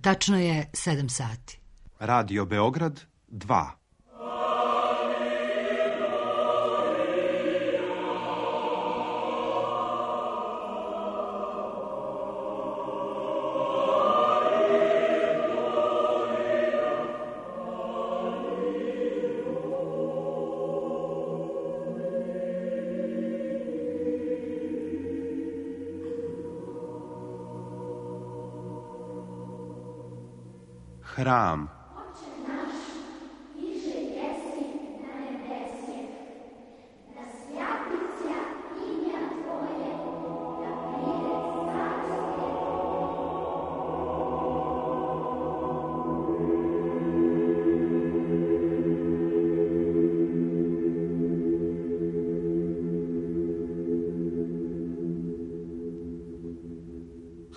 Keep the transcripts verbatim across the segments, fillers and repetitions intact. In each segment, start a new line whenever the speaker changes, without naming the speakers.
Tačno je sedam sati.
Radio Beograd dva. Hram.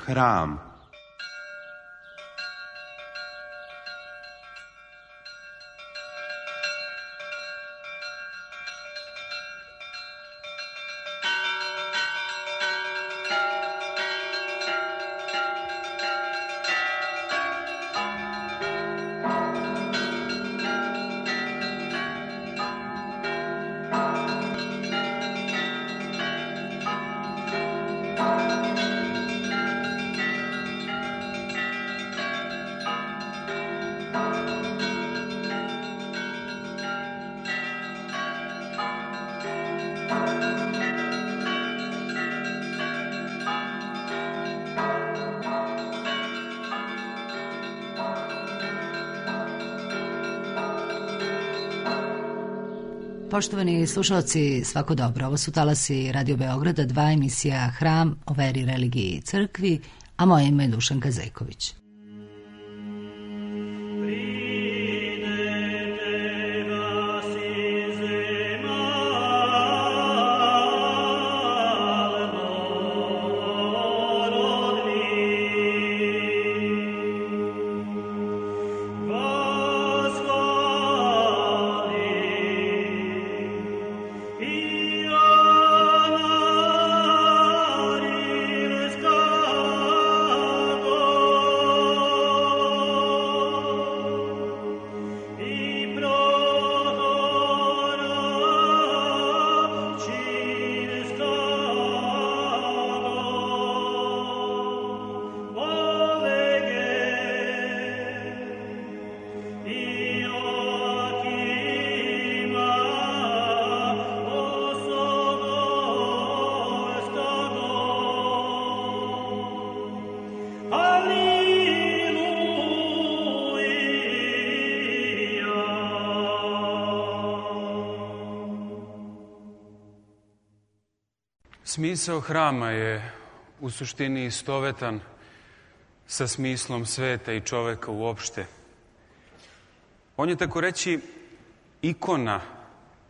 Hram.
Poštovani slušalci, svako dobro. Ovo su talasi Radio Beograda, dva, emisija Hram o veri, religiji i crkvi, a moje ime je Dušanka Zejković.
Smisao hrama je u suštini istovetan sa smislom sveta i čoveka uopšte. On je, tako reći, ikona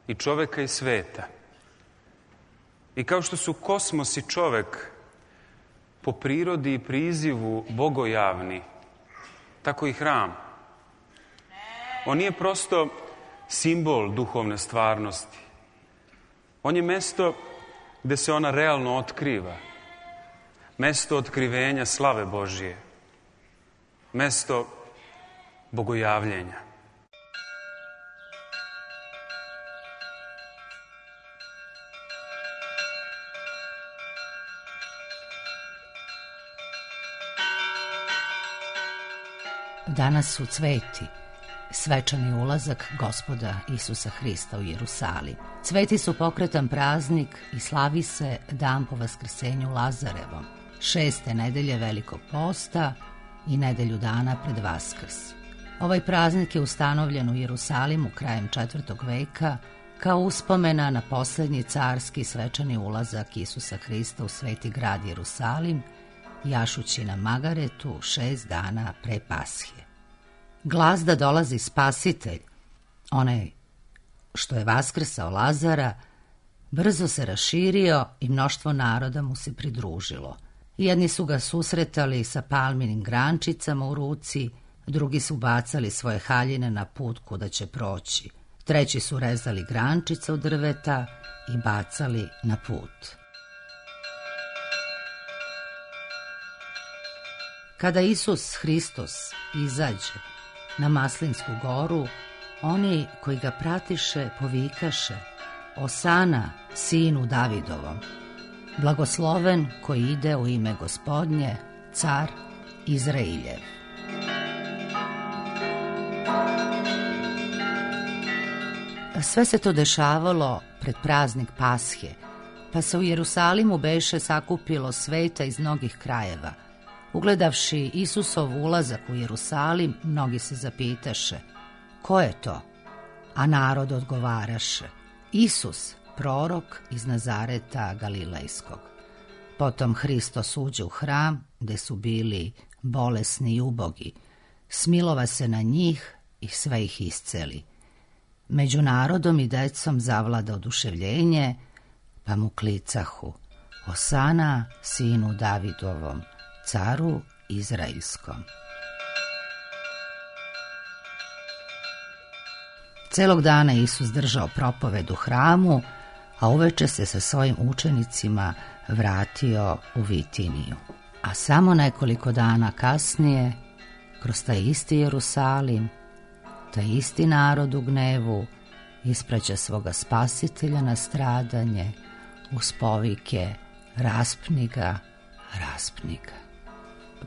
i čoveka i sveta. I kao što su kosmos i čovek po prirodi i prizivu bogojavni, tako i hram. On nije prosto simbol duhovne stvarnosti. On je mesto gde se ona realno otkriva. Mesto otkrivenja slave Božije. Mesto bogojavljenja.
Danas su cveti, svečani ulazak Gospoda Isusa Hrista u Jerusalim. Cveti su pokretan praznik i slavi se dan po vaskrsenju Lazarevom, šeste nedelje Velikog posta i nedelju dana pred Vaskrs. Ovaj praznik je ustanovljen u Jerusalimu krajem četvrtog veka kao uspomena na poslednji carski svečani ulazak Isusa Hrista u sveti grad Jerusalim, jašući na magaretu šest dana pre Pashe. Glas da dolazi Spasitelj, onaj što je vaskrsao Lazara, brzo se raširio i mnoštvo naroda mu se pridružilo. Jedni su ga susretali sa palminim grančicama u ruci, drugi su bacali svoje haljine na put kuda će proći. Treći su rezali grančice od drveta i bacali na put. Kada Isus Hristos izađe na Maslinsku goru, oni koji ga pratiše povikaše: Osana, sinu Davidovom, blagosloven koji ide u ime Gospodnje, car Izrailjev. Sve se to dešavalo pred praznik Pashe, pa se u Jerusalimu beše sakupilo sveta iz mnogih krajeva. Ugledavši Isusov ulazak u Jerusalim, mnogi se zapitaše: ko je to? A narod odgovaraše: Isus, prorok iz Nazareta Galilejskog. Potom Hristos uđe u hram, gde su bili bolesni i ubogi, smilova se na njih i sve ih isceli. Među narodom i decom zavlada oduševljenje, pa mu klicahu: Osana, sinu Davidovom, caru Izraelskom. Celog dana Isus držao propoved u hramu, a uveče se sa svojim učenicima vratio u Vitiniju. A samo nekoliko dana kasnije, kroz taj isti Jerusalim, taj isti narod u gnevu ispraća svoga spasitelja na stradanje uz povike: raspni ga, raspni ga.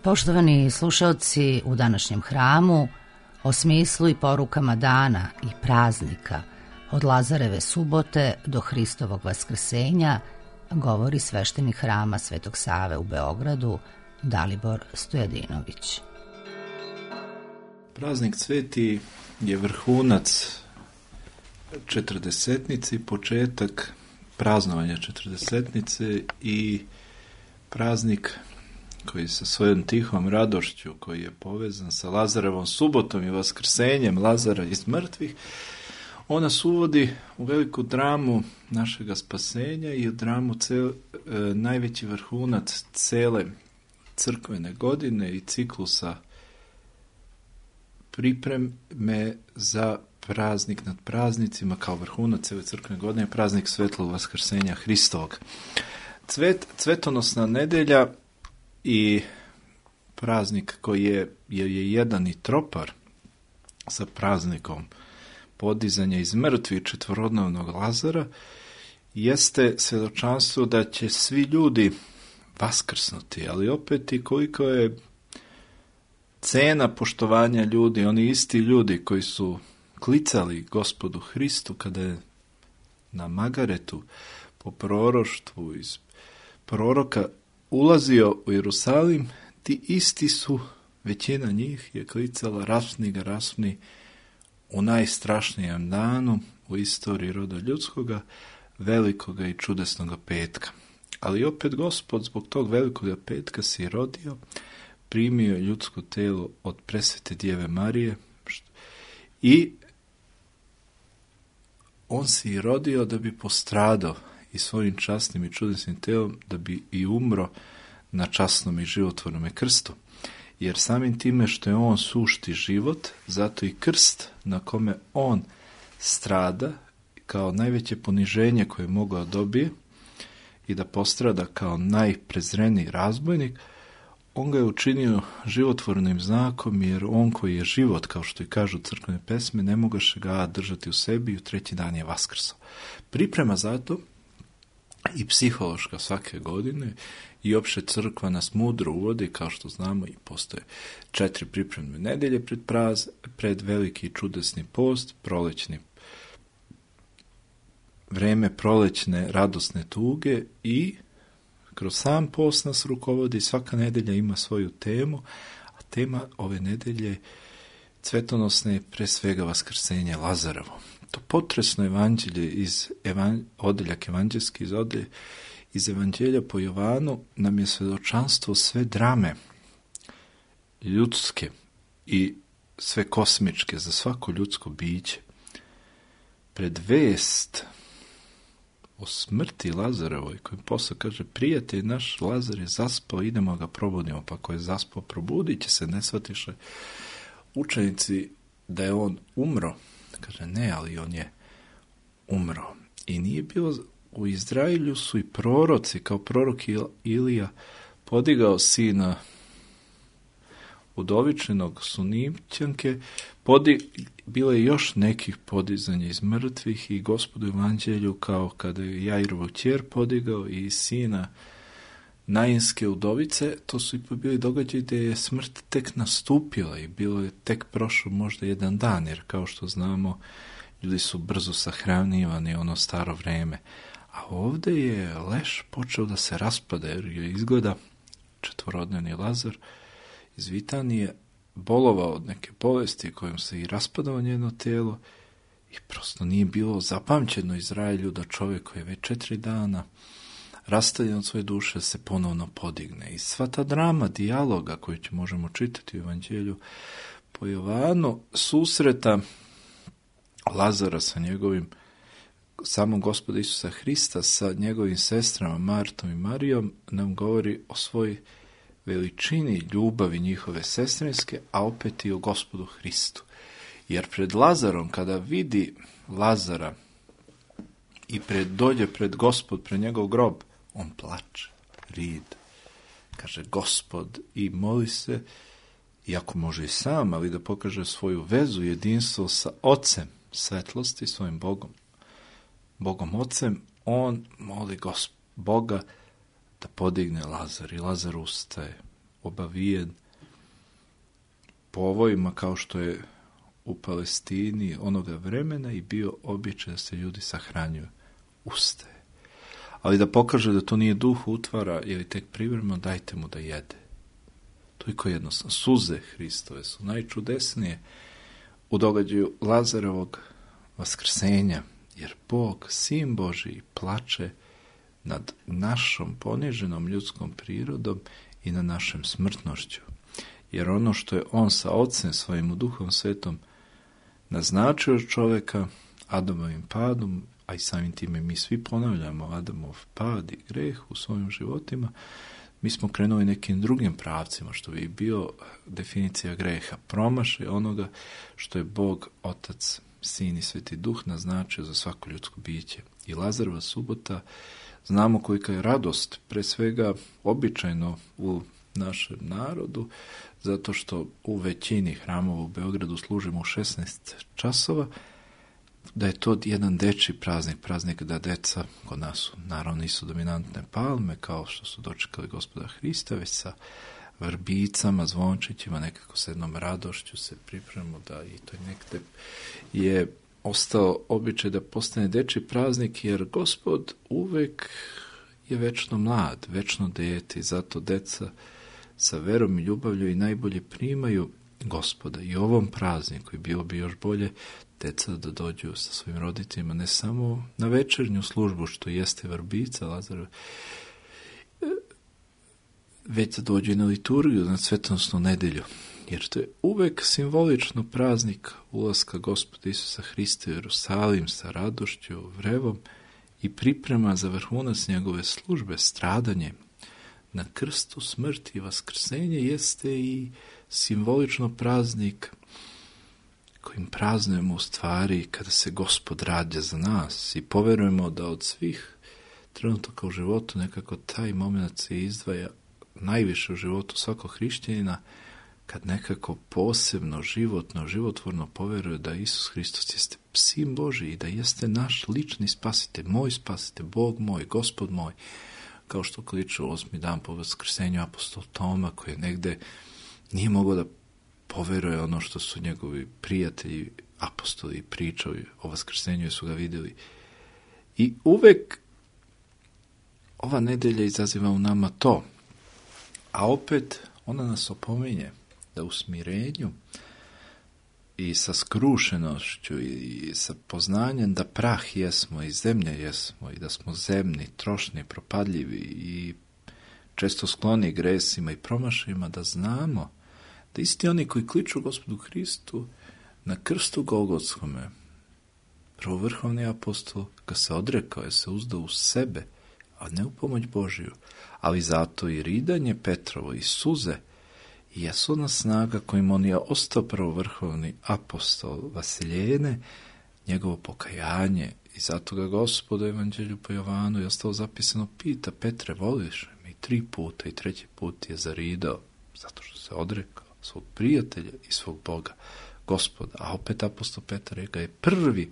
Poštovani slušaoci, u današnjem hramu o smislu i porukama dana i praznika od Lazareve subote do Hristovog vaskrsenja govori sveštenik hrama Svetog Save u Beogradu Dalibor Stojadinović.
Praznik Sveti je vrhunac četrdesetnice, početak praznovanja četrdesetnice i praznik koji sa svojom tihom radošću, koji je povezan sa Lazarevom subotom i vaskrsenjem Lazara iz mrtvih, on nas uvodi u veliku dramu našega spasenja i u dramu cel, e, najveći vrhunac cele crkvene godine i ciklusa pripreme za praznik nad praznicima, kao vrhunac cele crkvene godine, praznik svetlog vaskrsenja Hristovog. Cvet, cvetonosna nedelja i praznik koji je, je, je jedan i tropar sa praznikom podizanja iz mrtvih četvorodnevnog Lazara, jeste svjedočanstvo da će svi ljudi vaskrsnuti, ali opet i koliko je cena poštovanja ljudi, oni isti ljudi koji su klicali Gospodu Hristu kada je na Magaretu po proroštvu iz proroka ulazio u Jerusalim, ti isti su, većina njih je klicala: raspni ga, raspni, u najstrašnijem danu u istoriji roda ljudskoga, velikoga i čudesnoga petka. Ali opet Gospod zbog tog velikoga petka si rodio, primio ljudsko telo od presvete Djeve Marije i on si rodio da bi postradao i svojim časnim i čudesnim telom da bi i umro na časnom i životvornom krstu. Jer samim time što je on sušti život, zato i krst na kome on strada kao najveće poniženje koje je mogao dobije i da postrada kao najprezreniji razbojnik, on ga je učinio životvornim znakom, jer on koji je život, kao što i kažu crkvene pesme, ne mogaše ga držati u sebi i u treći dan je vaskrsao. Priprema zato i psihološka svake godine i opšte crkva nas mudro uvodi, kao što znamo, i postoje četiri pripremne nedelje pred, praz, pred veliki čudesni post, prolećni vreme prolećne radosne tuge i kroz sam post nas rukovodi, svaka nedelja ima svoju temu, a tema ove nedelje cvetonosne je pre svega vaskrsenje Lazarevo. To potresno evanđelje iz evan, odeljak evanđelski iz odelje iz evanđelja po Jovanu nam je svedočanstvo sve drame ljudske i sve kosmičke za svako ljudsko biće. Pred vest o smrti Lazarevoj, koji posle kaže: prijatelj naš Lazar je zaspao, idemo ga probudimo. Pa ako je zaspao, probudit će se, ne shvatiše učenici da je on umro. Kaže: ne, ali on je umro. I nije bilo, u Izraelju su i proroci, kao prorok Ilija podigao sina udovičenog Sunimćanke, podi, bilo je još nekih podizanja iz mrtvih i Gospodu evanđelju, kao kada je Jairovu kćer podigao i sina Nainske udovice, to su ipak bili događaji gdje je smrt tek nastupila i bilo je tek prošlo možda jedan dan, jer kao što znamo, ljudi su brzo sahranjivani ono staro vreme. A ovdje je leš počeo da se raspada, jer je izgleda četvorodnevni Lazar iz Vitanije bolovao od neke bolesti kojom se i raspadao njeno tijelo i prosto nije bilo zapamćeno Izraelju da čovjek koji je već četiri dana rastavljen od svoje duše se ponovno podigne. I sva ta drama dijaloga koju će možemo čitati u evanđelju po Jovanu, susreta Lazara sa njegovim, samog Gospoda Isusa Hrista sa njegovim sestrama Martom i Marijom, nam govori o svoj veličini ljubavi njihove sestrinske, a opet i o Gospodu Hristu. Jer pred Lazarom, kada vidi Lazara i pred, dođe pred Gospod, pred njegov grob, on plače, rid. Kaže Gospod i moli se, iako može i sam, ali da pokaže svoju vezu, jedinstvo sa Ocem svetlosti, svojim Bogom, Bogom Ocem, on moli Gosp- Boga da podigne Lazar i Lazar ustaje, obavijen povojima kao što je u Palestini onoga vremena i bio običaj da se ljudi sahranjuju. Ustaje. Ali da pokaže da to nije duh utvara ili tek privremeno, dajte mu da jede. Toliko jednostavno. Suze Hristove su najčudesnije u događaju Lazarovog vaskrsenja, jer Bog, Sin Božji, plače nad našom poniženom ljudskom prirodom i na našem smrtnošću. Jer ono što je on sa Ocem svojim u Duhom Svetom naznačio čovjeka Adamovim padom, a i samim time mi svi ponavljamo Adamov pad i greh u svojim životima, mi smo krenuli nekim drugim pravcima, što bi bio definicija greha, promašaj onoga što je Bog, Otac, Sin i Sveti Duh naznačio za svako ljudsko biće. I Lazarova subota, znamo kolika je radost, pre svega običajno u našem narodu, zato što u većini hramova u Beogradu služimo u šesnaest časova, da je to jedan dečji praznik, praznik da deca, kod nas su, naravno nisu dominantne palme, kao što su dočekali Gospoda Hrista, već sa vrbicama, zvončićima, nekako s jednom radošću se pripremamo da i to nekde je ostao običaj da postane dečji praznik, jer Gospod uvek je večno mlad, večno dete, i zato deca sa verom i ljubavlju i najbolje primaju Gospoda. I ovom prazniku i bilo bi još bolje deca da dođu sa svojim roditeljima ne samo na večernju službu, što jeste vrbica Lazarova, već da dođu i na liturgiju, na svetonosnu nedelju. Jer to je uvek simbolično praznik ulaska Gospoda Isusa Hrista u Jerusalim sa radošću, vrevom i priprema za vrhunac njegove službe, stradanje na krstu, smrt i vaskrsenje, jeste i simbolično praznik kojim praznujemo u stvari kada se Gospod rađa za nas i poverujemo da od svih trenutaka u životu nekako taj moment se izdvaja najviše u životu svakog hrišćanina, kad nekako posebno, životno, životvorno poveruje da Isus Hristos jeste Sin Božji i da jeste naš lični spasitelj, moj spasitelj, Bog moj, Gospod moj, kao što kliče u osmi dan po vaskrsenju apostol Toma, koji je negde nije mogao da poveruje ono što su njegovi prijatelji, apostoli pričali o vaskrsenju i su ga vidjeli. I uvek ova nedelja izaziva u nama to, a opet ona nas opominje da u smirenju i sa skrušenošću i sa poznanjem da prah jesmo i zemlje jesmo i da smo zemni, trošni, propadljivi i često skloni gresima i promašajima, da znamo da isti oni koji kliču Gospodu Hristu na krstu Golgotskome, prvovrhovni apostol ga se odrekao, je se uzdao u sebe, a ne u pomoć Božiju, ali zato i ridanje Petrovo i suze jesu na snaga kojim on je ostao prvovrhovni apostol Vasiljene, njegovo pokajanje, i zato ga Gospod u evanđelju po Jovanu je ostalo zapisano, pita Petre, voliš me? I tri puta i treći put je zaridao, zato što se odrekao. svog prijatelja i svog Boga, Gospoda. A opet apostol Petar ga je prvi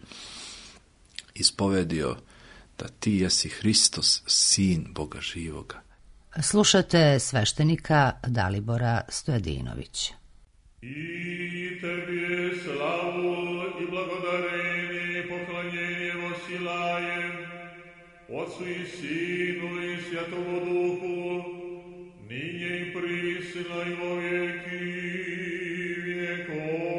ispovedio da ti jesi Hristos, sin Boga živoga.
Slušate sveštenika Dalibora Stojadinovića.
I tebi slavu i blagodarenje i poklanjenje vosilajem, Otcu i Sinu i Svjatomu Duhu, ninje i prisna i vo vijeki vijekov.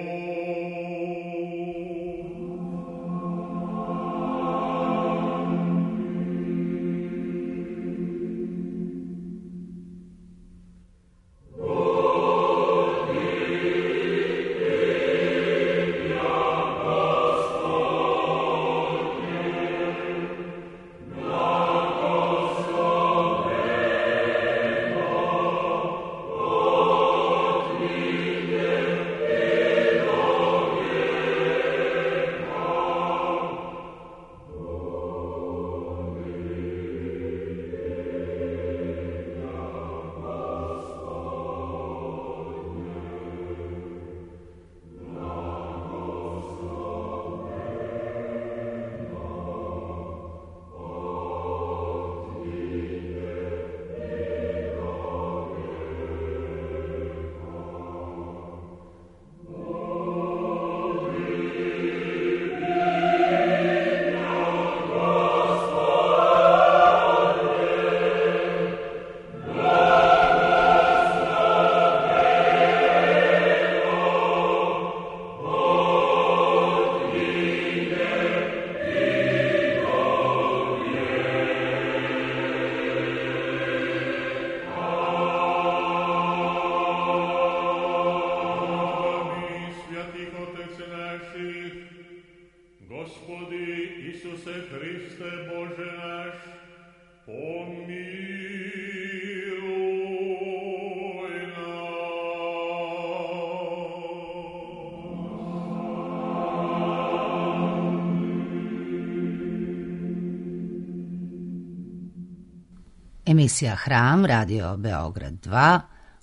Emisija Hram, Radio Beograd dva,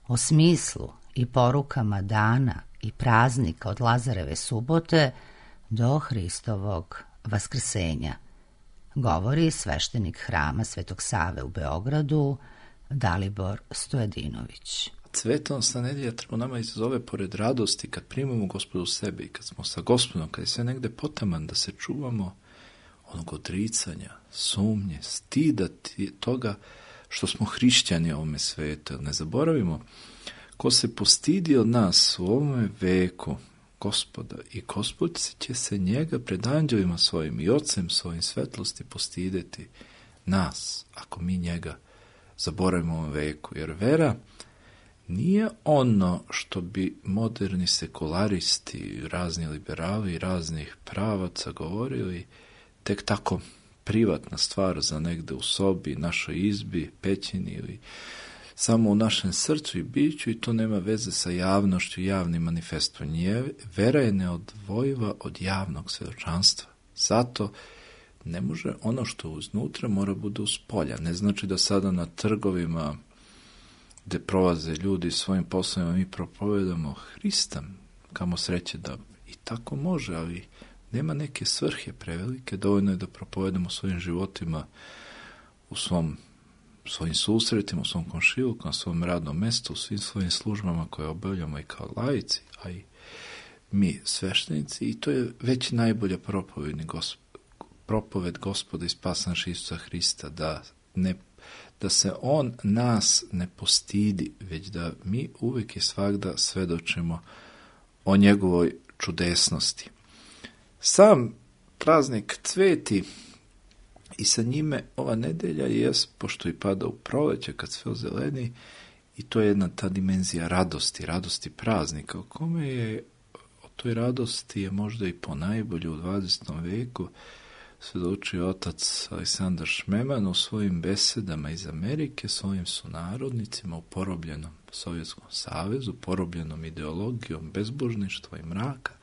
o smislu i porukama dana i praznika od Lazareve subote do Hristovog vaskrsenja. Govori sveštenik Hrama Svetog Save u Beogradu, Dalibor Stojadinović.
Cvetonosna nedjelja treba nama izazove pored radosti kad primamo Gospodu u sebe i kad smo sa Gospodom, kad je sve negde potaman, da se čuvamo onog odricanja, sumnje, stida toga što smo hrišćani u ovome svetu. Ne zaboravimo, ko se postidi od nas u ovome veku Gospoda i Gospod će se njega pred anđelima svojim i Ocem svojim svetlosti postideti nas, ako mi njega zaboravimo u ovom veku. Jer vera nije ono što bi moderni sekularisti, razni liberali i raznih pravaca govorili tek tako privatna stvar za negde u sobi, našoj izbi, pećini ili samo u našem srcu i biću i to nema veze sa javnošću i javnim manifestom. Vera je neodvojiva od javnog svjedočanstva. Zato ne može ono što je uznutra mora bude uz polja. Ne znači da sada na trgovima gde prolaze ljudi svojim poslovima mi propovedamo Hrista, kamo sreće da i tako može, ali nema neke svrhe prevelike, dovoljno je da propovedamo svojim životima u svom, svojim susretima, u svom komšiluku, na svom radnom mestu, u svim svojim službama koje obavljamo i kao laici, a i mi sveštenici, i to je već najbolja propovedni gosp, propoved Gospoda i spasa naša Isusa Hrista, da, ne, da se On nas ne postidi, već da mi uvijek i svagda svedočimo o njegovoj čudesnosti. Sam praznik cveti i sa njime ova nedelja jest, pošto i pada u proleće kad sve ozeleni, i to je jedna ta dimenzija radosti, radosti praznika, o kome je, o toj radosti je možda i ponajbolje u dvadesetom veku svedočio otac Aleksandar Šmeman u svojim besedama iz Amerike svojim sunarodnicima u porobljenom Sovjetskom savezu, porobljenom ideologijom bezbožništva i mraka.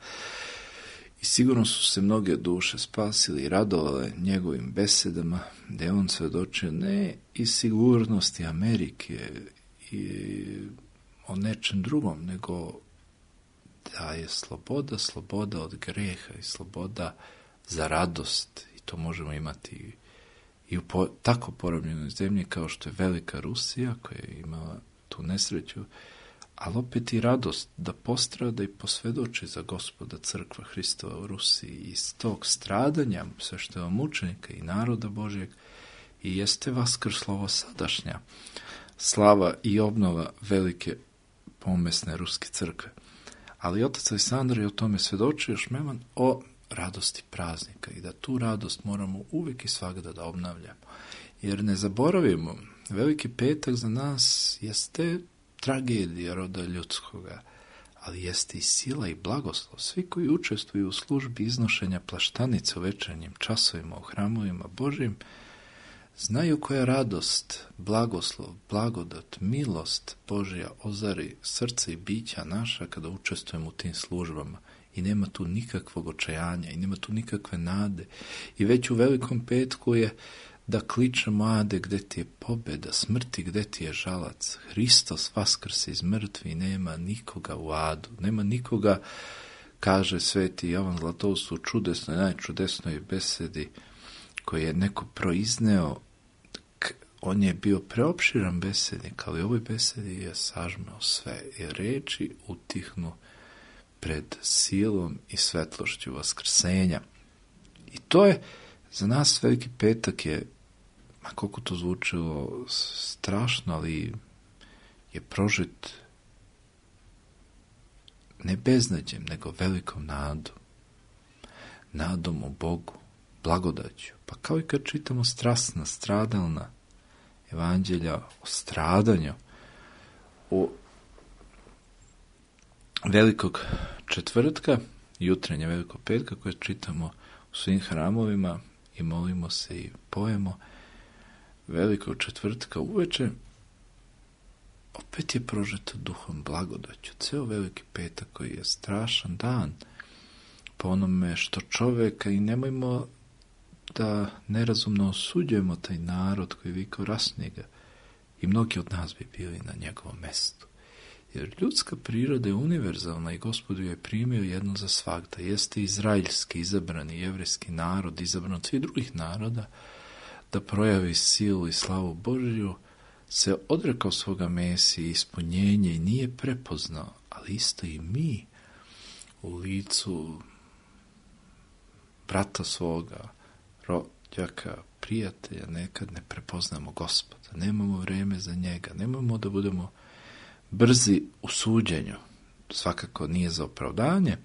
I sigurno su se mnoge duše spasili i radovale njegovim besedama, da je on svedočio ne iz sigurnosti Amerike i o nečem drugom, nego da je sloboda, sloboda od greha i sloboda za radost. I to možemo imati i u po, tako porobljenoj zemlji kao što je velika Rusija, koja je imala tu nesreću, ali opet i radost da postrada i posvjedoči za Gospoda crkva Hristova u Rusiji. I iz tog stradanja svešteva mučenika i naroda Božjeg i jeste vaskrslovo sadašnja slava i obnova velike pomesne ruske crkve. Ali otac Aleksandar je o tome svjedočio još meman o radosti praznika i da tu radost moramo uvijek i svagda da obnavljamo. Jer ne zaboravimo, Veliki petak za nas jeste tragedija roda ljudskoga, ali jeste i sila i blagoslov. Svi koji učestvuju u službi iznošenja plaštanice u večernjim časovima u hramovima Božjim, znaju koja radost, blagoslov, blagodat, milost Božja ozari srce i bića naša kada učestvujemo u tim službama. I nema tu nikakvog očajanja i nema tu nikakve nade. I već u Velikom petku je da kličemo: Ade, gde ti je pobjeda, smrti, gde ti je žalac? Hristos vaskrse iz mrtvi, nema nikoga u adu, nema nikoga, kaže sveti Jovan Zlatoust u čudesnoj, najčudesnoj besedi koji je neko proizneo. On je bio preopširan besednik, ali u ovoj besedi je sažmeo sve i reči utihnu pred silom i svetlošću vaskrsenja. I to je za nas Veliki petak je, ma koliko to zvučilo strašno, ali je prožet ne beznađem, nego velikom nadom. Nadom u Bogu, blagodaću. Pa kao i kad čitamo strasna, stradalna evanđelja o stradanju, o Velikog četvrtka, jutrenja Velikog petka koje čitamo u svim hramovima i molimo se i pojemo Velikog četvrtka uveče, opet je prožeto duhom blagodaću. Ceo Veliki petak koji je strašan dan po onome što čoveka, i nemojmo da nerazumno osuđujemo taj narod koji vikao rasni ga, i mnogi od nas bi bili na njegovom mestu. Jer ljudska priroda je univerzalna i Gospod ju je primio jedno za svagda. Jeste izraelski, izabrani jevrejski narod, izabran od svih drugih naroda, da projavi silu i slavu Božju, se odrekao svoga Mesije i ispunjenje i nije prepoznao, ali isto i mi u licu brata svoga, rođaka, prijatelja, nekad ne prepoznamo Gospoda, nemamo vreme za njega, nemamo da budemo brzi u suđenju. Svakako nije za opravdanje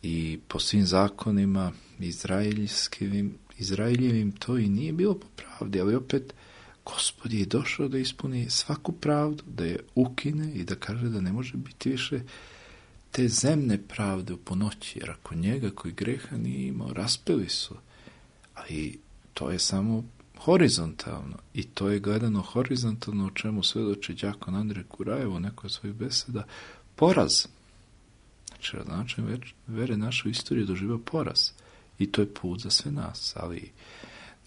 i po svim zakonima izraeljskim, Izraeljevim to i nije bilo po pravdi, ali opet Gospod je došao da ispuni svaku pravdu, da je ukine i da kaže da ne može biti više te zemne pravde u ponoći, jer ako njega koji greha nije imao, raspeli su. Ali to je samo horizontalno i to je gledano horizontalno, o čemu svedoči đakon Andrej Kurajev u nekoj svojih beseda, poraz. Znači, način vere naše u istoriji doživio poraz i to je put za sve nas, ali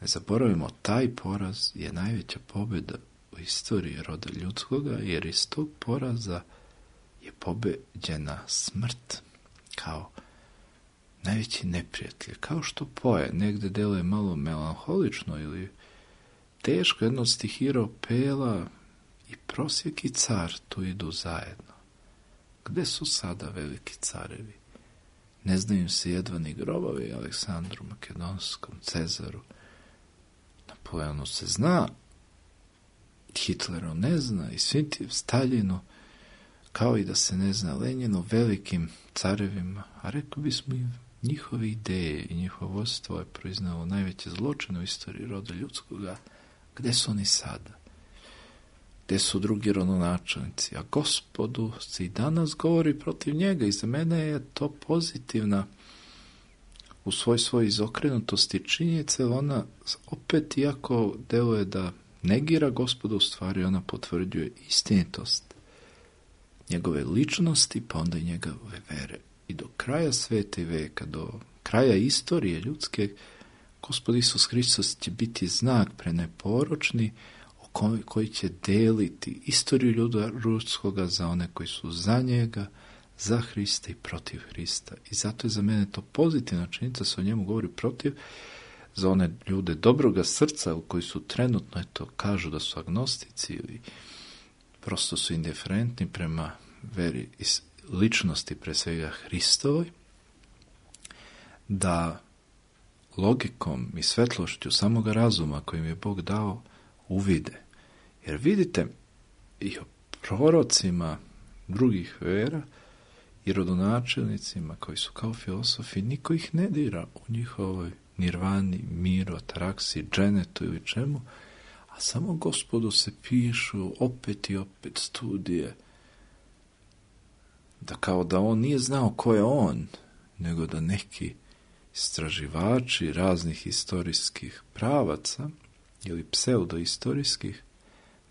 ne zaboravimo, taj poraz je najveća pobjeda u istoriji roda ljudskoga, jer iz tog poraza je pobeđena smrt kao najveći neprijatelj. Kao što poje negde deluje malo melanholično ili teško, jedno od stihira Pela i prosjek i car tu idu zajedno. Gde su sada veliki carevi? Ne znaju se jedva ni grobovi Aleksandru Makedonskom, Cezaru. Napoleonu se zna, Hitleru ne zna i svim tim Staljinu, kao i da se ne zna Lenjinu, velikim carevima, a rekli bismo i njihove ideje i njihovo vodstvo je proiznalo najveće zločine u istoriji roda ljudskoga. Gde su oni sada? Gde su drugi rodonačelnici? A Gospodu se i danas govori protiv njega i za mene je to pozitivna u svoj svoj izokrenutosti činjenice, ona opet, iako deluje da negira Gospoda, u stvari ona potvrđuje istinitost njegove ličnosti, pa onda i njegove vere. I do kraja sveta i veka, do kraja istorije ljudske, Gospod Isus Hristos će biti znak preneporočni o koji, koji će deliti istoriju ljuda ruskoga za one koji su za njega, za Hrista i protiv Hrista. I zato je za mene to pozitivna činjenica, se o njemu govori protiv, za one ljude dobroga srca koji su trenutno, eto, kažu da su agnostici ili prosto su indiferentni prema veri i ličnosti, pre svega Hristovoj, da logikom i svetlošću samoga razuma kojim je Bog dao uvide. Jer vidite, i o prorocima drugih vera i rodonačelnicima koji su kao filosofi, niko ih ne dira u njihovoj nirvani, miru, ataraksi, dženetu ili čemu, a samo Gospodu se pišu opet i opet studije, da kao da on nije znao ko je on, nego da neki istraživači raznih historijskih pravaca ili pseudoistorijskih,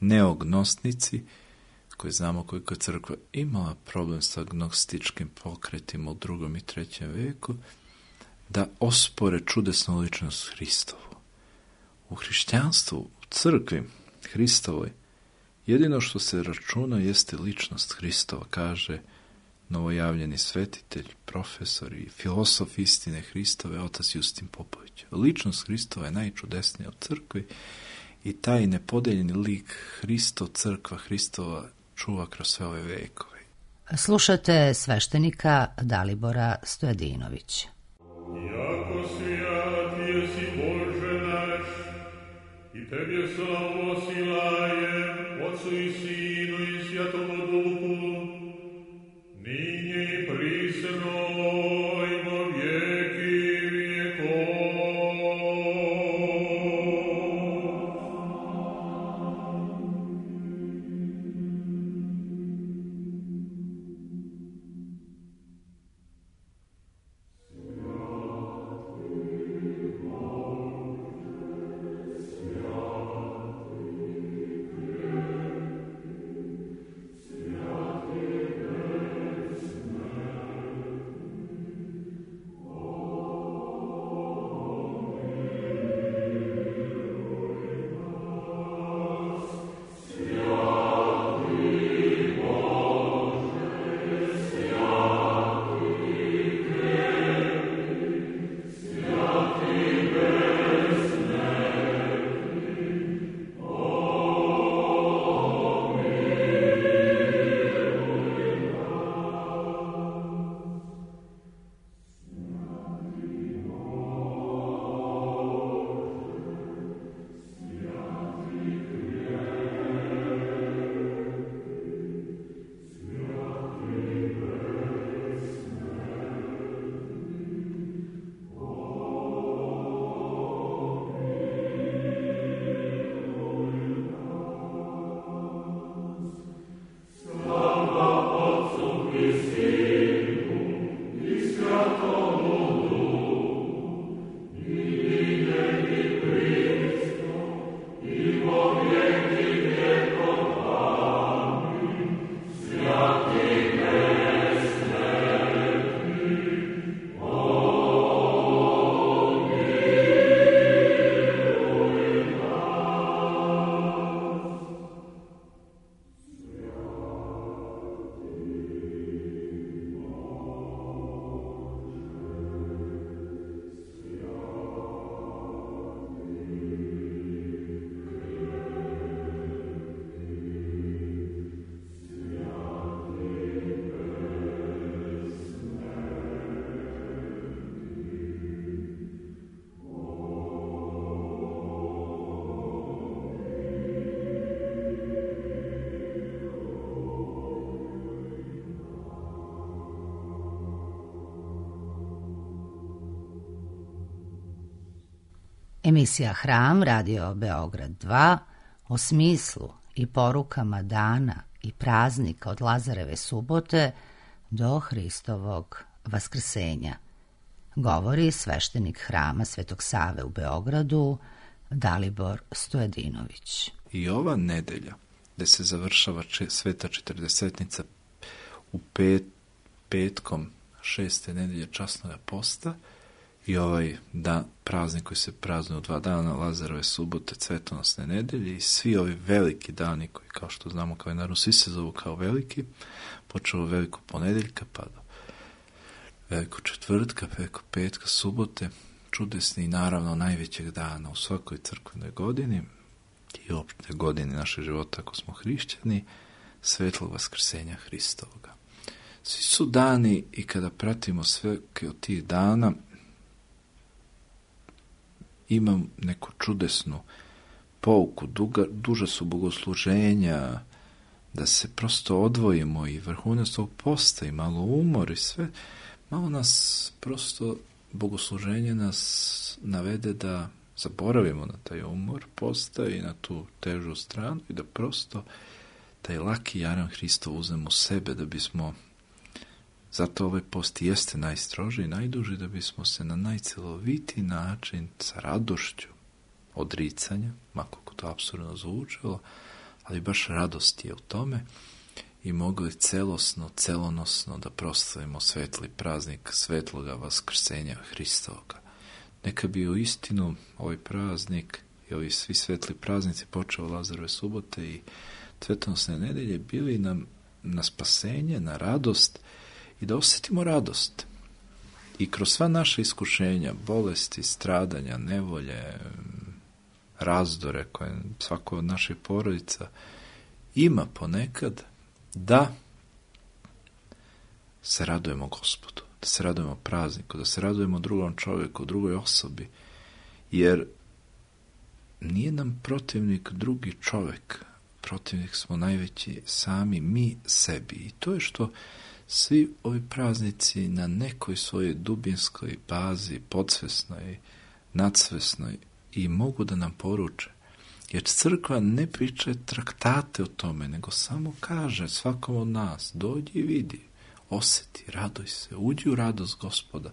neognostnici, koji znamo koliko je crkva imala problem sa agnostičkim pokretima u drugom i trećem veku, da ospore čudesnu ličnost Hristovu. U hrišćanstvu, u crkvi Hristovoj, jedino što se računa jeste ličnost Hristova, kaže novojavljeni svetitelj, profesor i filosof istine Hristove, otac Justin Popović. Ličnost Hristova je najčudesnija u crkvi i taj nepodeljeni lik Hristo, crkva Hristova čuva kroz sve ove vekove.
Slušate sveštenika Dalibora Stojadinovića.
Jako svijat jesi Bože naš, i Tebe slavu osilajem, Otcu i Sinu i Svjatomu Duhu, ninje i prisno i vo vijeki vijekov.
Emisija Hram, Radio Beograd dva, o smislu i porukama dana i praznika od Lazareve subote do Hristovog vaskrsenja. Govori sveštenik Hrama Svetog Save u Beogradu, Dalibor Stojadinović.
I ova nedelja, gde se završava če, sveta četrdesetnica u pet, petkom šeste nedelje časnog posta, i ovaj dan, praznik koji se praznuje u dva dana, Lazarove subote, Cvetonosne nedelje i svi ovi veliki dani koji, kao što znamo kalendarno, svi se zovu kao veliki, počeo od velikog ponedeljka pa do velikog četvrtka, velikog petka, subote, čudesni i naravno najvećeg dana u svakoj crkvenoj godini i opšte godini našeg života ako smo hrišćani, svetlog vaskrsenja Hristovoga. Svi su dani i kada pratimo sve od tih dana imam neku čudesnu pouku, duga, duža su bogosluženja, da se prosto odvojimo i vrhunac tog posta i malo umor i sve, malo nas prosto bogosluženje nas navede da zaboravimo na taj umor posta i na tu težu stranu i da prosto taj laki jaran Hristov uzmemo u sebe da bismo, zato ovaj post jeste najstroži i najduži, da bismo se na najceloviti način sa radošću odricanja, makako to apsurdno zvučalo, ali baš radost je u tome i mogli celosno, celonosno da proslavimo svetli praznik svetloga vaskrsenja Hristovoga. Neka bi u istinu ovaj praznik i ovi svi svetli praznici počeo Lazarove subote i Cvetonosne nedelje bili nam na spasenje, na radost i da osjetimo radost. I kroz sva naša iskušenja, bolesti, stradanja, nevolje, razdore koje svako od naših porodica ima ponekad, da se radujemo Gospodu, da se radujemo prazniku, da se radujemo drugom čovjeku, drugoj osobi, jer nije nam protivnik drugi čovjek, protivnik smo najveći sami mi sebi. I to je što svi ovi praznici na nekoj svojoj dubinskoj bazi, podsvesnoj, nadsvesnoj i mogu da nam poruče. Jer crkva ne priča traktate o tome, nego samo kaže svakom od nas, dođi i vidi, osjeti, raduj se, uđi u radost Gospoda,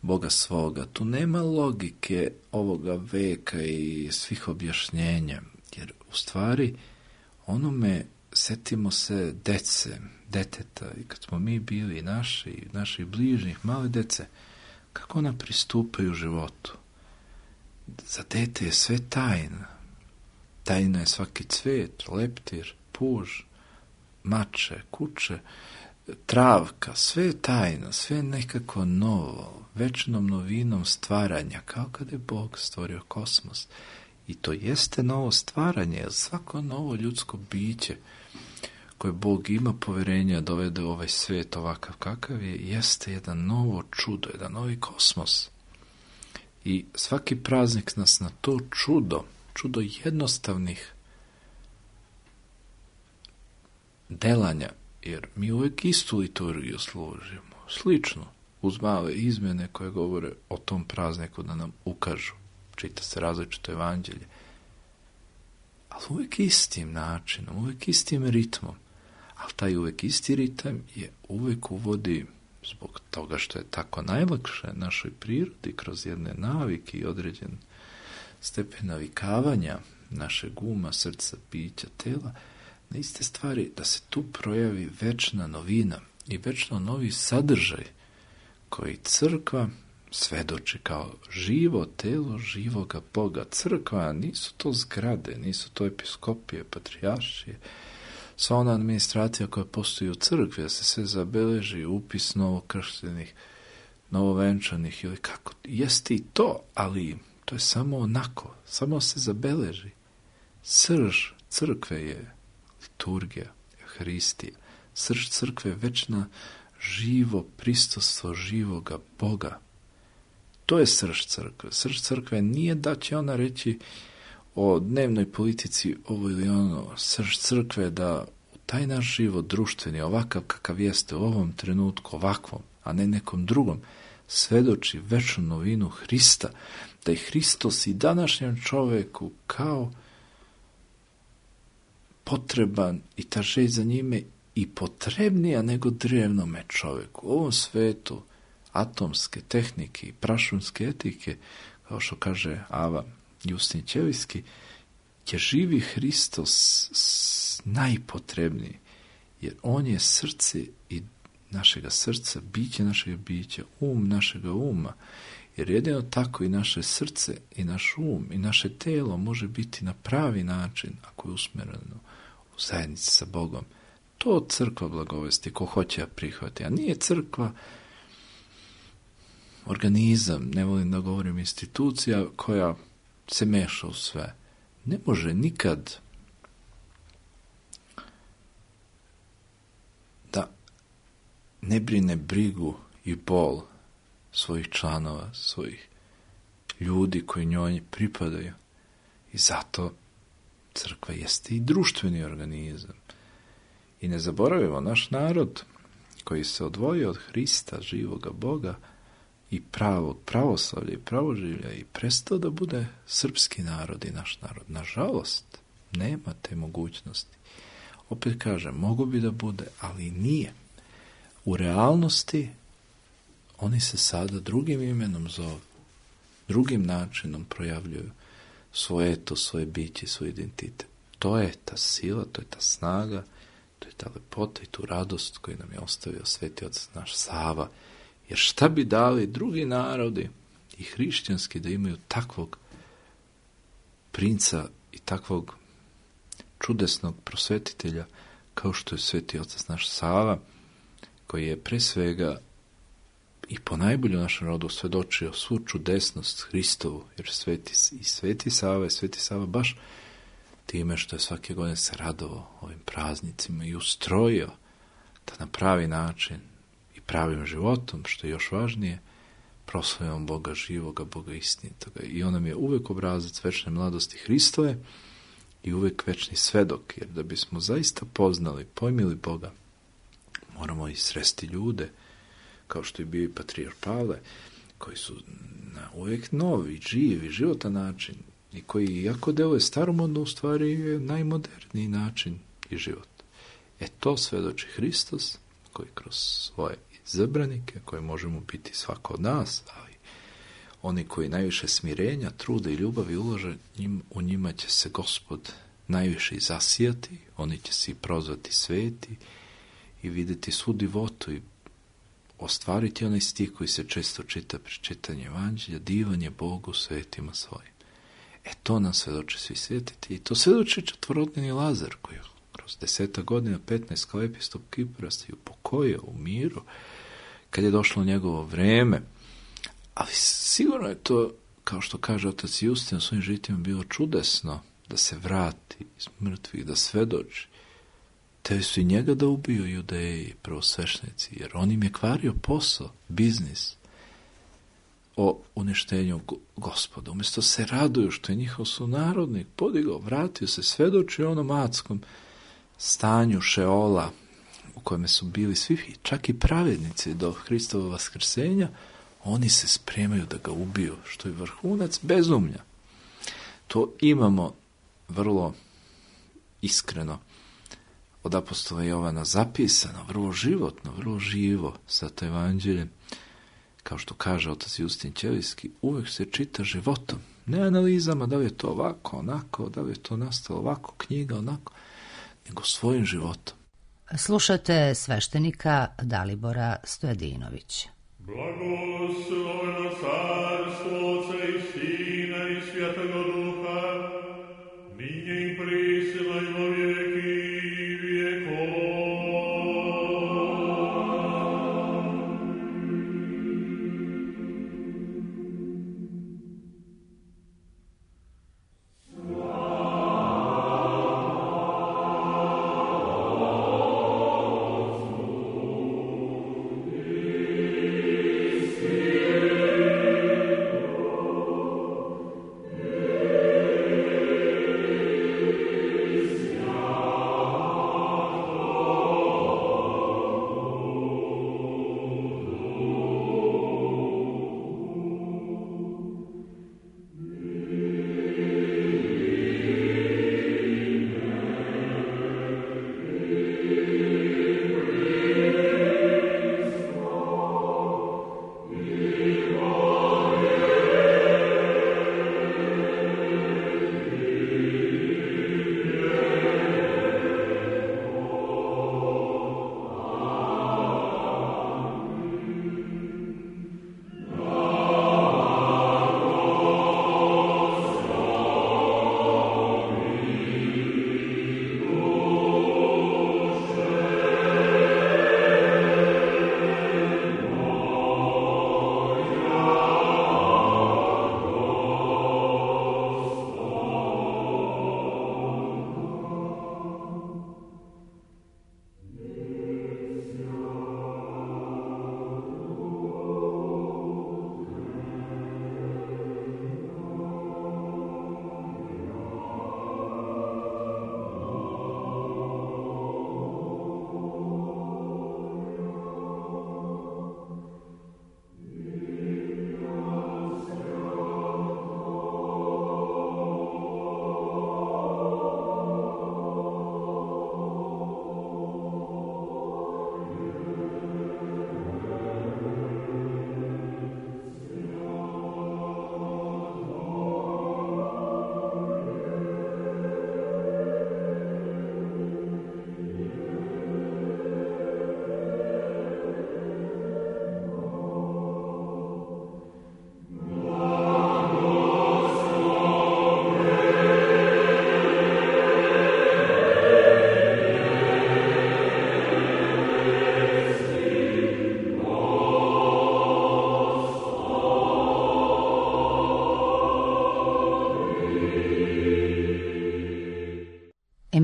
Boga svoga. Tu nema logike ovoga veka i svih objašnjenja, jer u stvari onome setimo se dece, deteta, i kad smo mi bili naši, naših bližnjih, male dece, kako ona pristupaju životu. Za dete je sve tajna. Tajna je svaki cvet, leptir, puž, mače, kuće, travka, sve je tajna, sve je nekako novo, večnom novinom stvaranja, kao kada je Bog stvorio kosmos. I to jeste novo stvaranje, jer svako novo ljudsko biće koje Bog ima poverenja dovede u ovaj svet ovakav kakav je, jeste jedan novo čudo, jedan novi kosmos. I svaki praznik nas na to čudo, čudo jednostavnih delanja, jer mi uvijek istu liturgiju služimo, slično, uz male izmjene koje govore o tom prazniku da nam ukažu. Čita se različito evanđelje, ali uvijek istim načinom, uvijek istim ritmom. Ali taj uvijek isti ritam je uvijek uvodi, zbog toga što je tako najlakše našoj prirodi, kroz jedne navike i određen stepen navikavanja našeg uma, srca, bića, tela, na iste stvari, da se tu projavi večna novina i večno novi sadržaj koji crkva svedoči kao živo telo živoga Boga. Crkva nisu to zgrade, nisu to episkopije, patrijaršije, sva ona administracija koja postoji u crkvi, da se sve zabeleži, upis novokrštenih, novovenčanih ili kako. Jeste i to, ali to je samo onako, samo se zabeleži. Srž crkve je liturgija, Hristija. Srž crkve je večna živo pristostvo živoga Boga. To je srž crkve. Srž crkve nije da će ona reći o dnevnoj politici ovo ili ono. Srž crkve je da u taj naš život društveni, ovakav kakav jeste u ovom trenutku, ovakvom, a ne nekom drugom, svedoči večnu novinu Hrista, da je Hristos i današnjem čoveku kao potreban i ta želj za njime i potrebnija nego drevnome čoveku. U ovom svetu atomske tehnike i prašunske etike, kao što kaže Ava Justin Ćelijski, je živi Hristos najpotrebniji, jer on je srce i našega srca, biće našega bića, um našega uma. Jer jedino tako i naše srce, i naš um, i naše telo može biti na pravi način, ako je usmjereno u zajednici sa Bogom. To crkva blagovesti, ko hoće ja prihvati. A nije crkva organizam, ne volim da govorim institucija koja se meša u sve. Ne može nikad da ne brine brigu i bol svojih članova, svojih ljudi koji njoj pripadaju. I zato crkva jeste i društveni organizam. I ne zaboravimo, naš narod koji se odvojio od Hrista, živoga Boga i pravog pravoslavlja i pravoživlja i prestao da bude srpski narod i naš narod. Nažalost, nema te mogućnosti. Opet kažem, mogu bi da bude, ali nije. U realnosti oni se sada drugim imenom zovu, drugim načinom projavljuju svoje eto, svoje biće, svoj identitet. To je ta sila, to je ta snaga, to je ta lepota i tu radost koju nam je ostavio Sveti Otac naš Sava. Jer šta bi dali drugi narodi i hrišćanski da imaju takvog princa i takvog čudesnog prosvetitelja kao što je Sveti Otac naš Sava, koji je pre svega i po najbolju našem rodu svedočio svu čudesnost Hristovu, jer sveti, i Sveti Sava i Sveti Sava baš time što je svake godine se radovao ovim praznicima i ustrojio da na pravi način i pravim životom, što je još važnije, proslavljamo Boga živoga, Boga istinitoga. I on nam je uvek obrazac večne mladosti Hristove i uvek večni svedok, jer da bismo zaista poznali, pojmili Boga, moramo i sresti ljude, kao što je bio i patrijarh Pavle, koji su na uvek novi, živi, životan način i koji, iako deluje staromodno, u stvari je najmoderniji način i život. E to svedoči Hristos, koji kroz svoje izabranike, koje možemo biti svako od nas, ali oni koji najviše smirenja, truda i ljubavi ulože, njim, u njima će se Gospod najviše i zasijati, oni će se i prozvati sveti i vidjeti svu divotu i ostvariti onaj stih koji se često čita pri čitanju Evanđelja, divan je Bogu svetima svojim. E to nam svedoče svi svetitelji. I to svedoči četvorodnevni Lazar, koji kroz deseta godina, petnaest kao epistop Kipra se upokojio u miru, kad je došlo njegovo vreme. Ali sigurno je to, kao što kaže otac Justin u svojim žitima, bilo čudesno da se vrati iz mrtvih, da svedoči. Te su i njega da ubiju Judeji, prvosveštenici, jer on im je kvario posao, biznis o uništenju Gospoda. Umjesto se raduju što je njihov sunarodnik podigao, vratio se, svedoči onom adskom stanju Šeola u kojem su bili svi, čak i pravednici do Hristova vaskrsenja, oni se spremaju da ga ubiju, što je vrhunac bezumlja. To imamo vrlo iskreno od apostola Jovana zapisano, vrlo životno, vrlo živo sa to evanđeljem. Kao što kaže otac Justin Ćelijski, uvek se čita životom, ne analizama da li je to ovako, onako, da li je to nastalo ovako, knjiga, onako, nego svojim životom.
Slušate sveštenika Dalibora Stojadinovića.
Blagosloveno carstvo Otca i Sina i Svjetoga Duha, ninje i prisila i vo vijeki vijekova.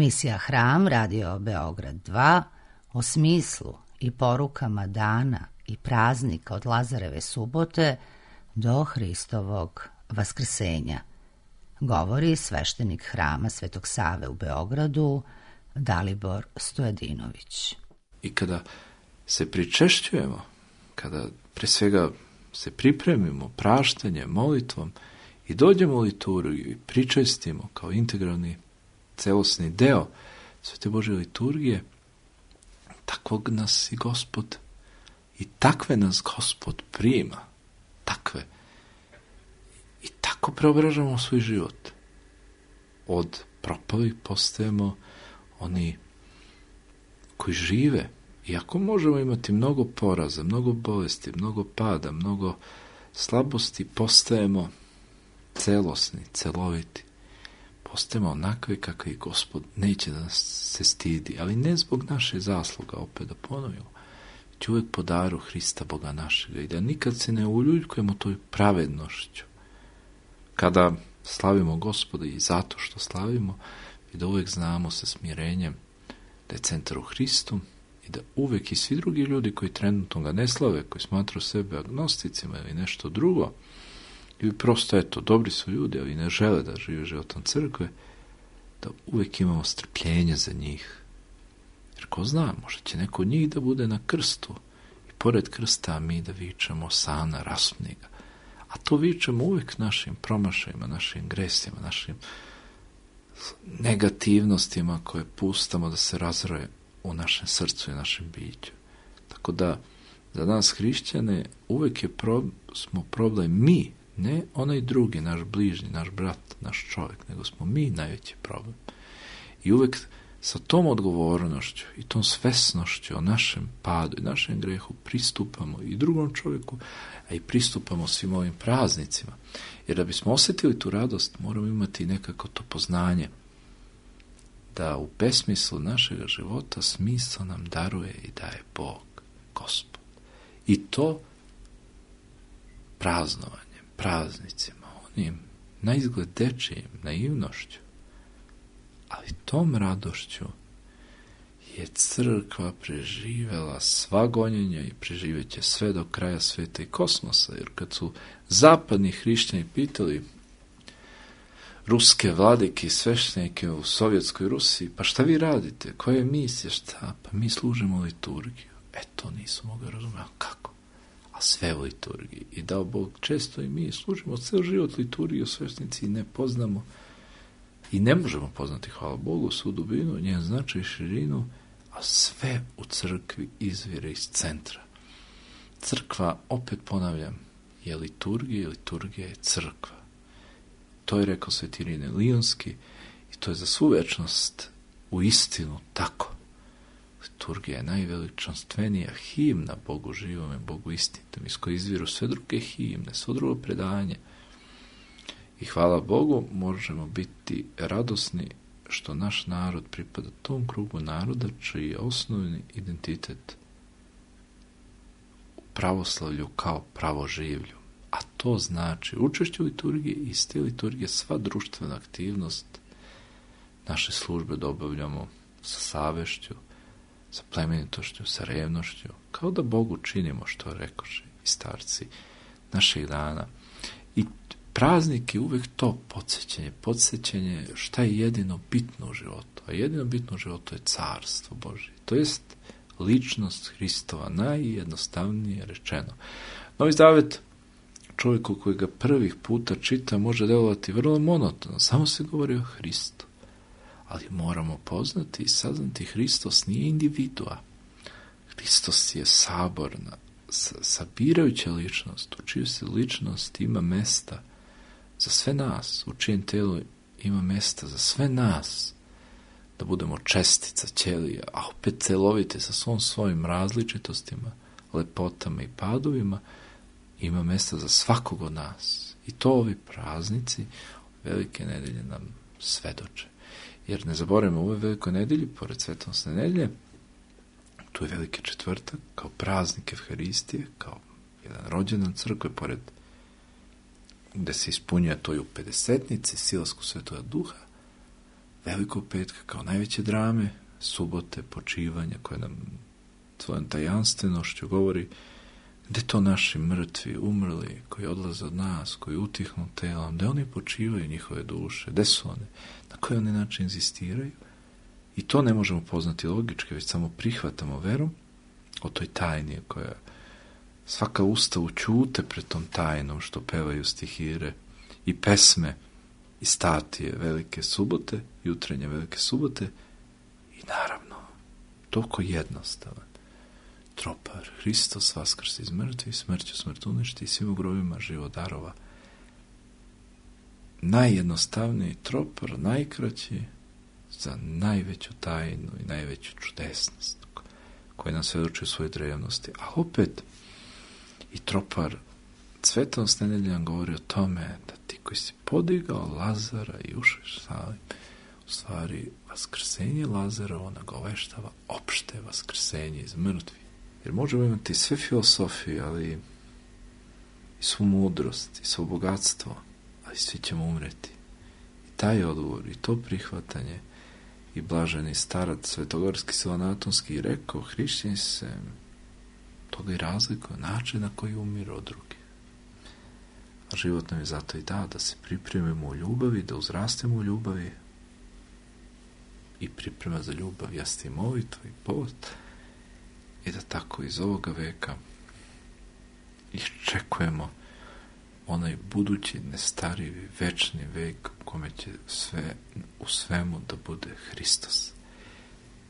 Emisija Hram, Radio Beograd dva, o smislu i porukama dana i praznika od Lazareve subote do Hristovog vaskrsenja. Govori sveštenik Hrama Svetog Save u Beogradu, Dalibor Stojadinović.
I kada se pričešćujemo, kada pre svega se pripremimo praštanjem, molitvom i dođemo u liturgiju i pričestimo kao integralni celosni deo Svete Božje liturgije, takvog nas i Gospod i takve nas Gospod prima, takve. I tako preobražavamo svoj život. Od propalih postajemo oni koji žive. Iako možemo imati mnogo poraza, mnogo bolesti, mnogo pada, mnogo slabosti, postajemo celosni, celoviti. Postajemo onakvi kakvi Gospod neće da nas se stidi, ali ne zbog naše zasluga, opet da ponovimo, već uvek po daru Hrista Boga našega i da nikad se ne uljuljkujemo toj pravednošću. Kada slavimo Gospoda i zato što slavimo, i da uvek znamo sa smirenjem da je centar u Hristu i da uvek i svi drugi ljudi koji trenutno ga ne slave, koji smatruju sebe agnosticima ili nešto drugo, ili prosto, eto, dobri su ljudi, ali ne žele da žive životom crkve, da uvek imamo strpljenje za njih. Jer ko zna, možda će neko od njih da bude na krstu i pored krsta mi da vičemo Sana, raspni ga. A to vičemo uvek našim promašajima, našim gresima, našim negativnostima koje pustamo da se razroje u našem srcu i našem biću. Tako da, za nas hrišćane uvek je pro, smo problem mi, ne onaj drugi, naš bližnji, naš brat, naš čovjek, nego smo mi najveći problem. I uvek sa tom odgovornošću i tom svesnošću o našem padu i našem grehu pristupamo i drugom čovjeku, a i pristupamo svim ovim praznicima. Jer da bismo osjetili tu radost, moramo imati nekako to poznanje da u besmislu našega života smisao nam daruje i daje Bog, Gospod. I to praznovanjem, praznicima, onim naizgled dečijim, naivnošću, ali tom radošću je crkva preživela sva gonjenja i preživeće sve do kraja sveta i kosmosa, jer kad su zapadni hrišćani pitali ruske vladike i sveštenike u Sovjetskoj Rusiji, pa šta vi radite, koja je misija, šta, pa mi služimo liturgiju. E, to nisu mogli razumjeti, kako? A sve u liturgiji. I dao Bog, često i mi služimo ceo život liturgiju, sveštenici i ne poznamo i ne možemo poznati, hvala Bogu, svu dubinu, njen značaj i širinu, a sve u crkvi izvire iz centra. Crkva, opet ponavljam, je liturgija i liturgija je crkva. To je rekao Sveti Irinej Lionski i to je za svu večnost u istinu tako. Liturgija je najveličanstvenija himna Bogu živome, Bogu istinitom, iz koje izviru sve druge himne, svo drugo predanje. I hvala Bogu, možemo biti radosni što naš narod pripada tom krugu naroda čiji je osnovni identitet u pravoslavlju kao pravoživlju. A to znači učešće u liturgiji i iz te liturgije sva društvena aktivnost naše službe da obavljamo sa savešću, sa plemenitošću, sa revnošću, kao da Bogu činimo što rekoše i starci naših dana. I praznik je uvek to podsjećanje, podsjećanje šta je jedino bitno u životu. A jedino bitno u životu je carstvo Božje. To jest ličnost Hristova, najjednostavnije rečeno. Novi Zavet čovjeku koji ga prvih puta čita može delovati vrlo monotono, samo se govori o Hristu. Ali moramo poznati i saznati Hristos nije individua. Hristos je saborna, sabirajuća ličnost, u čiju se ličnost ima mesta za sve nas, u čijem telu ima mesta za sve nas, da budemo čestica, ćelija, a opet celovite sa svom svojim različitostima, lepotama i padovima, ima mesta za svakog od nas. I to ovi praznici Velike nedelje nam svedoče. Jer ne zaboravimo, u ovoj Velikoj nedelji, pored Svetonosne nedelje, tu je Veliki četvrtak, kao praznik Evharistije, kao jedan rođendan crkve, pored gde se ispunjuje to i u pedesetnici, silasku Svetoga Duha, Velikog petka kao najveće drame, subote, počivanja koje nam svojom tajanstvenošću govori gde to naši mrtvi, umrli, koji odlaze od nas, koji utihnu telom, gde oni počivaju njihove duše, gde su one, na koji oni način inzistiraju. I to ne možemo poznati logički, već samo prihvatamo verom o toj tajni koja svaka usta ućute pred tom tajnom što pevaju stihire i pesme i statije Velike subote, jutrenje Velike subote i naravno toliko jednostavan tropar. Hristos vaskrsi iz mrtvih, smrću smrt uništi i svim u grobima život darova. Najjednostavniji tropar, najkraći za najveću tajnu i najveću čudesnost koja nam svedoči u svojoj drevnosti. A opet i tropar Svetost nedelja nam govori o tome da ti koji si podigao Lazara i ušeš sali, u stvari vaskrsenje Lazara ona goveštava opšte vaskrsenje iz mrtvih. Jer možemo imati sve filosofije, ali i svu mudrost, i svo bogatstvo, ali svi ćemo umreti. I taj odgovor, i to prihvatanje, i blaženi starac Svetogorski Silanatonski rekao, hrišćani se toga i razlikuju, način na koji umiru od drugih. A život nam je zato i dao da se pripremimo u ljubavi, da uzrastemo u ljubavi i priprema za ljubav jeste i molitva i post i da tako iz ovoga veka iščekujemo onaj budući, nestarivi, večni vek u kome će sve u svemu da bude Hristos.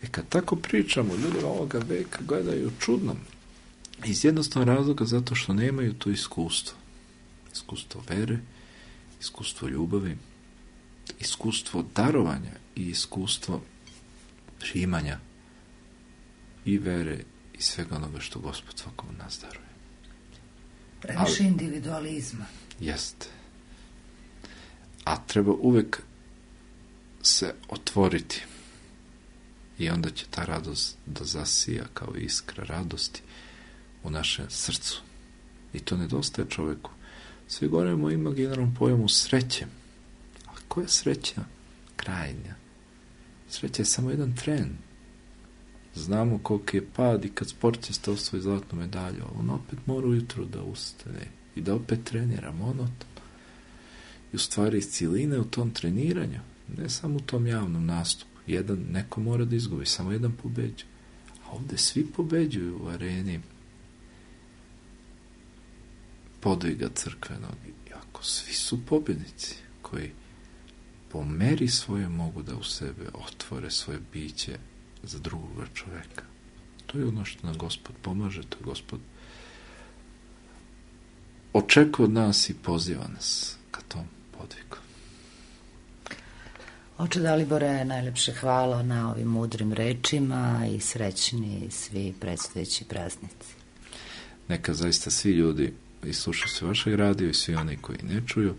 I kad tako pričamo, ljudi ovoga veka gledaju čudno. Iz jednostavnog razloga zato što nemaju to iskustvo. Iskustvo vere, iskustvo ljubavi, iskustvo darovanja i iskustvo primanja i vere i svega onoga što Gospod svakom od nas daruje.
Previše individualizma.
Jeste. A treba uvek se otvoriti i onda će ta radost da zasija kao iskra radosti u našem srcu. I to nedostaje čoveku. Svi govorimo o imaginarnom pojmu sreće. A koja je sreća? Krajnja. Sreća je samo jedan tren. Znamo koliki je pad i kad sportista osvoji zlatnu medalju, on opet mora ujutru da ustane i da opet trenira monotono. I u stvari iz cijeline u tom treniranju, ne samo u tom javnom nastupu, jedan neko mora da izgubi, samo jedan pobeđuje. A ovde svi pobeđuju u areni podviga crkvenog. I ako svi su pobjednici koji po meri svoje mogu da u sebe otvore svoje biće za drugoga čoveka. To je ono što nam Gospod pomaže, to je Gospod očekuje od nas i poziva nas ka tom podvigu.
Oče Dalibore, najlepše hvala na ovim mudrim rečima i srećni svi predstojeći praznici.
Neka zaista svi ljudi i slušaju se vašeg radija i svi oni koji ne čuju,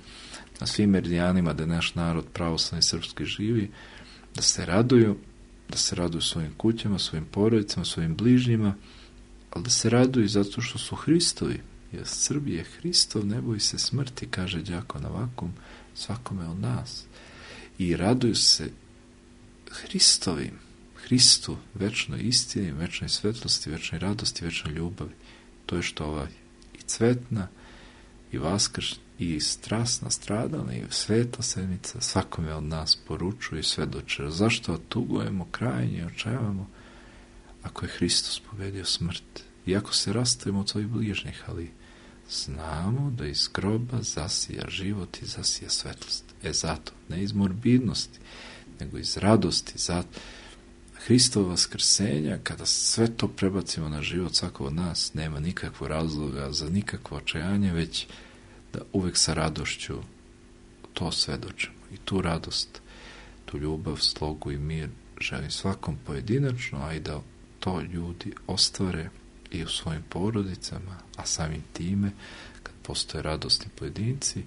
na svim meridijanima da naš narod pravoslavni srpski živi, da se raduju, da se raduju svojim kućama, svojim porodicama, svojim bližnjima, ali da se raduju zato što su Hristovi, jer Srbije je Hristov, ne boji se smrti, kaže đakon Avakum, svakome od nas. I raduju se Hristovim, Hristu, večnoj istini, večnoj svetlosti, večnoj radosti, večnoj ljubavi. To je što ovaj i cvetna, i vaskrš, i strasna, stradana, i svetla sedmica svakome od nas poručuje i svedoče. Zašto tugujemo krajnje, očajavamo, ako je Hristos pobedio smrt? Iako se rastavimo od svojih bližnjih, ali znamo da iz groba zasija život i zasija svetlost. E zato, ne iz morbidnosti, nego iz radosti, zato Hristovo vaskrsenja, kada sve to prebacimo na život svakog od nas, nema nikakvog razloga za nikakvo očajanje, već da uvek sa radošću to svedočimo. I tu radost, tu ljubav, slogu i mir želim svakom pojedinačno, a i da to ljudi ostvare i u svojim porodicama, a samim time, kad postoje radosni pojedinci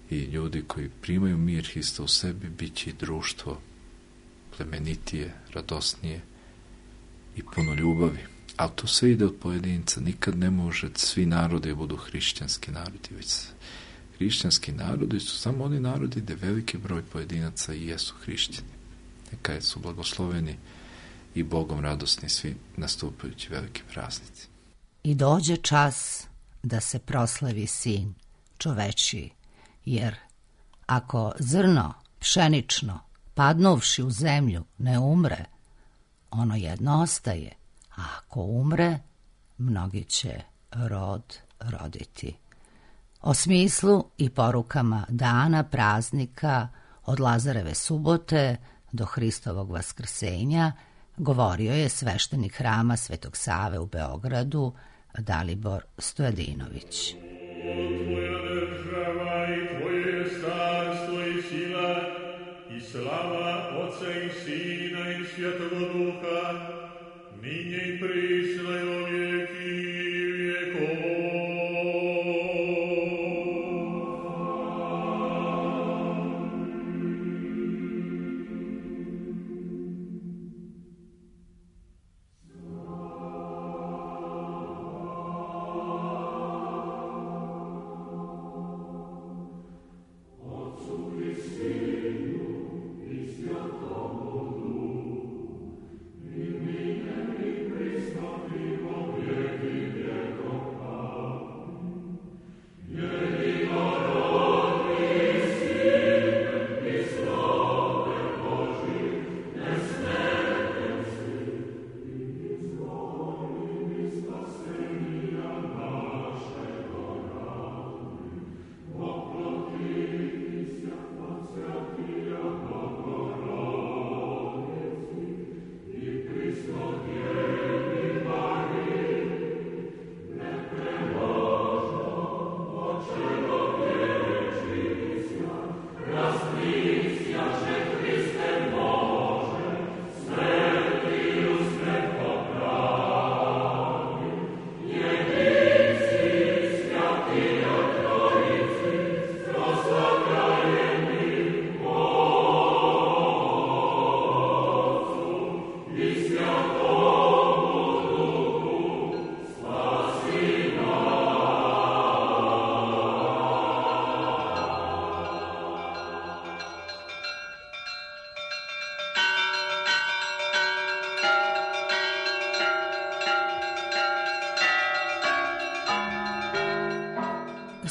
i ljudi koji primaju mir Hrista u sebi, bit će i društvo plemenitije, radosnije i puno ljubavi. A to sve ide od pojedinca. Nikad ne može svi narodi budu hrišćanski narodi, već hrišćanski narodi su samo oni narodi gde veliki broj pojedinaca i jesu hrišćani. neka su blagosloveni i Bogom radosni svi nastupajući veliki praznici.
I dođe čas da se proslavi sin čovečiji, jer ako zrno pšenično, padnuvši u zemlju, ne umre, ono jedno ostaje, a ako umre, mnogi će rod roditi. O smislu i porukama dana praznika od Lazareve subote do Hristovog vaskrsenja govorio je sveštenik hrama Svetog Save u Beogradu Dalibor Stojadinović.
Tvoja država i tvoje carstvo i sila i slava Otca i Sina i Svjetoga Duha, ninje i prisna i o vijeki vjekova.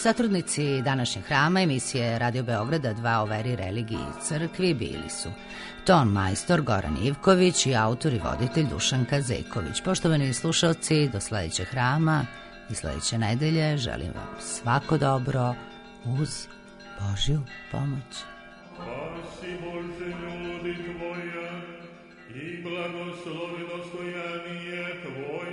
Satrudnici današnjeg hrama emisije Radio Beograda dva o veri, religiji i crkvi bili su ton majstor Goran Ivković i autor i voditelj Dušan Kazejković. Poštovani slušalci, do sledećeg hrama i sledeće nedelje želim vam svako dobro uz Božju pomoć.
Spasi Bože ljudi Tvoja i blagoslovi dostojanije Tvoje.